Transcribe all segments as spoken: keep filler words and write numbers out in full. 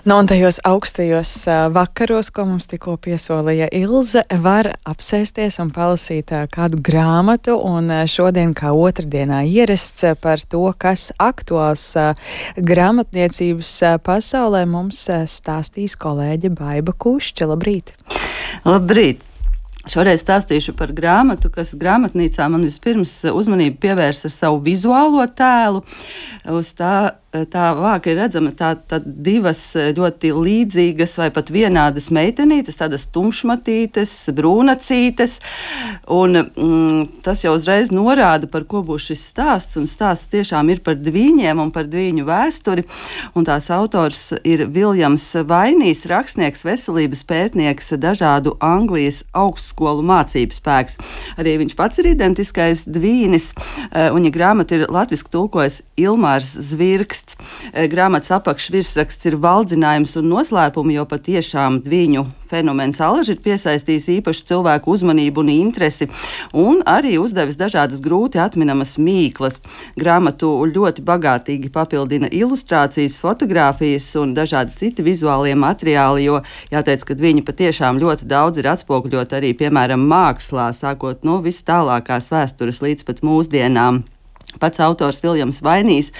Nu, un tajos augstajos uh, vakaros, ko mums tikko piesolīja Ilze, var apsēsties un palasīt uh, kādu grāmatu, un uh, šodien, kā otrdienā ierasts uh, par to, kas aktuāls uh, grāmatniecības uh, pasaulē, mums uh, stāstīs kolēģe Baiba Kušķa. Labrīt! Labrīt! Šoreiz stāstīšu par grāmatu, kas grāmatnīcā man vispirms uzmanību pievērs ar savu vizuālo tēlu. Uz tā, tā vāka ir redzama tā, tā divas ļoti līdzīgas vai pat vienādas meitenītes, tādas tumšmatītes, brūnacītes, un mm, tas jau uzreiz norāda, par ko būs šis stāsts, un stāsts tiešām ir par dvīņiem un par dvīņu vēsturi, un tās autors ir Viljams Vainijs, rakstnieks, veselības pētnieks, dažādu Anglijas augstskolu mācību spēks. Arī viņš pats ir identiskais dvīnis, un ja grāmatu ir latviski tulkojis Ilmārs Zvirksts. Grāmatas apakšvirsraksts ir valdzinājums un noslēpumi, jo patiešām dvīņu fenomens alaži ir piesaistījis īpašu cilvēku uzmanību un interesi, un arī uzdevis dažādas grūti atminamas mīklas. Grāmatu ļoti bagātīgi papildina ilustrācijas, fotogrāfijas un dažādi citi vizuālie materiāli, jo jāteic, ka viņi patiešām ļoti daudz ir atspoguļot arī, piemēram, mākslā, sākot no vis tālākās vēstures līdz pat mūsdienām. Pats autors Viljams Vainijs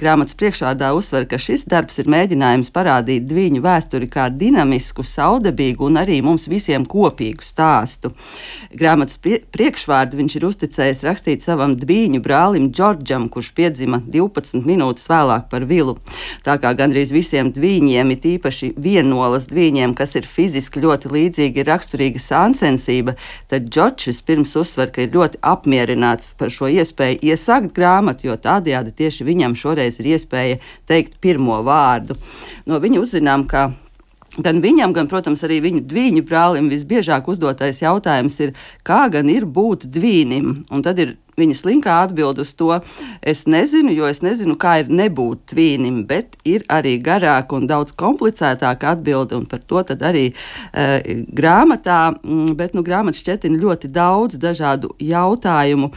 grāmatas priekšvārdā uzsver, ka šis darbs ir mēģinājums parādīt dvīņu vēsturi kā dinamisku, saudabīgu un arī mums visiem kopīgu stāstu. Grāmatas priekšvārdu viņš ir uzticējis rakstīt savam dvīņu brālim Džordžam, kurš piedzima divpadsmit minūtes vēlāk par Vilu. Tā kā gandrīz visiem dvīņiem, it īpaši vienolas dvīņiem, kas ir fiziski ļoti līdzīgi, ir raksturīga sāncensība, tad Džordžs vispirms uzsver, ka ir ļoti apmierināts par šo iespēju iesākt grāmatu, jo tādējādi tieši viņam šoreiz ir iespēja teikt pirmo vārdu. No viņa uzzinām, ka gan viņam, gan, protams, arī viņu dvīņu brālim visbiežāk uzdotais jautājums ir, kā gan ir būt dvīnim, un tad ir viņa slinkā atbild uz to, es nezinu, jo es nezinu, kā ir nebūt tvīnim, bet ir arī garāka un daudz komplicētāka atbilde, un par to tad arī uh, grāmatā, bet nu grāmatas šķetina ļoti daudz dažādu jautājumu.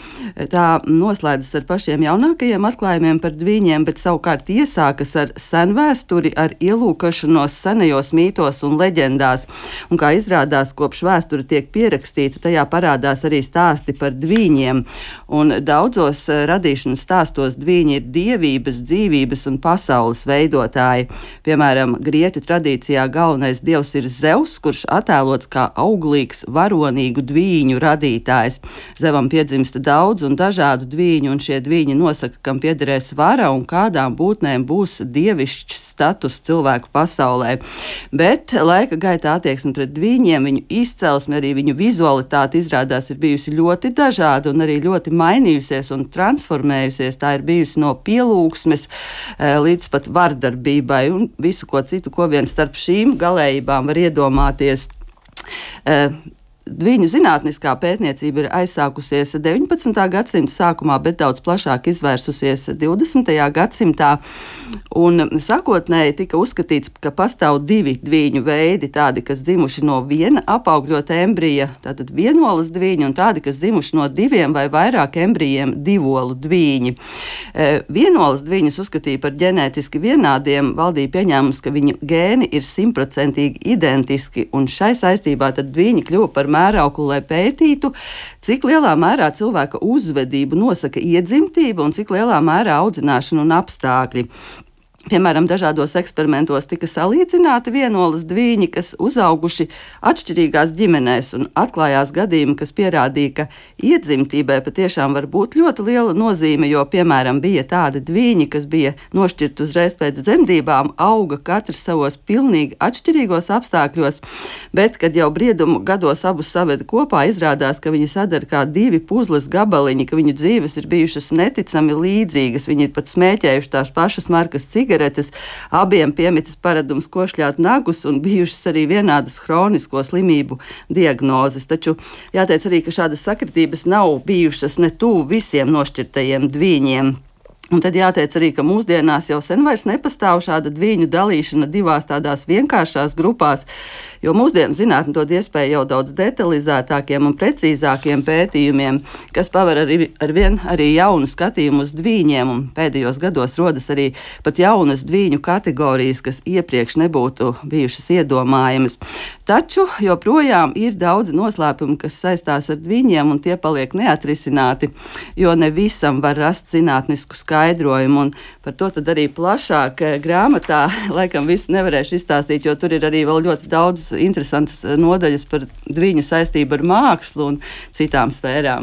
Tā noslēdzas ar pašiem jaunākajiem atklājumiem par dvīņiem, bet savukārt iesākas ar senvēsturi, ar ielūkošanos senajos mītos un leģendās, un kā izrādās, kopš vēsture tiek pierakstīta, tajā parādās arī stāsti par dvīņiem. Un daudzos radīšanas stāstos dvīņi ir dievības, dzīvības un pasaules veidotāji. Piemēram, grieķu tradīcijā galvenais dievs ir Zeus, kurš attēlots kā auglīgs, varonīgu dvīņu radītājs. Zevam piedzimsta daudz un dažādu dvīņu, un šie dvīņi nosaka, kam piederēs vara un kādām būtnēm būs dievišķs status cilvēku pasaulē. Bet laika gaitā attieksme pret dvīņiem, viņu izcelsme, arī viņu vizualitāte izrādās ir bijusi ļoti dažāda un arī ļoti mainījusies un transformējusies. Tā ir bijusi no pielūgsmes līdz pat vardarbībai un visu ko citu, ko vien starp šīm galējībām var iedomāties. Dvīņu zinātniskā pētniecība ir aizsākusies deviņpadsmitā gadsimta sākumā, bet daudz plašāk izvērsusies divdesmitajā gadsimtā. Un sākotnēji tika uzskatīts, ka pastāv divi dvīņu veidi, tādi, kas dzimuši no viena apaugļota embrija, tātad vienolas dvīņi, un tādi, kas dzimuši no diviem vai vairāk embrijiem, divolu dvīņi. Vienolas dvīņus uzskatīja par ģenētiski vienādiem, valdīja pieņēmums, ka viņu gēni ir simtprocentīgi identiski, un šai saistībā tad dvīņi kļuva par mērauklu, lai pētītu, cik lielā mērā cilvēka uzvedību nosaka iedzimtība un cik lielā mērā audzināšana un apstākļi. Piemēram, dažādos eksperimentos tika salīdzināti vienolas dvīņi, kas uzauguši atšķirīgās ģimenēs, un atklājās gadījumi, kas pierādīja, ka iedzimtībai patiešām var būt ļoti liela nozīme, jo, piemēram, bija tādi dvīņi, kas bija nošķirti uzreiz pēc dzemdībām, auga katrs savos pilnīgi atšķirīgos apstākļos, bet, kad jau briedumu gados abus saveda kopā, izrādās, ka viņi sadara kā divi puzles gabaliņi, ka viņu dzīves ir bijušas neticami līdzīgas, viņi ir pat smēķējuši tās pašas markas cigaretes, abiem piemitis paradums košļāt nagus un bijušas arī vienādas hronisko slimību diagnozes. Taču jāteic arī, ka šādas sakritības nav bijušas ne tuvu visiem nošķirtajiem dvīņiem. Un tad jāteic arī, ka mūsdienās jau sen vairs nepastāv šāda dviņu dalīšana divās tādās vienkāršās grupās, jo mūsdienu zinātne dod iespēju jau daudz detalizētākiem un precīzākiem pētījumiem, kas paver arī, ar vien arī jaunu skatījumu uz dviņiem, un pēdējos gados rodas arī pat jaunas dviņu kategorijas, kas iepriekš nebūtu bijušas iedomājamas. Taču joprojām ir daudz noslēpumu, kas saistās ar dviņiem, un tie paliek neatrisināti, jo ne visam var rast zinātnisku skaidrojumu, un par to tad arī plašāk grāmatā laikam visu nevarēšu izstāstīt, jo tur ir arī vēl ļoti daudz interesantas nodaļas par dviņu saistību ar mākslu un citām sfērām.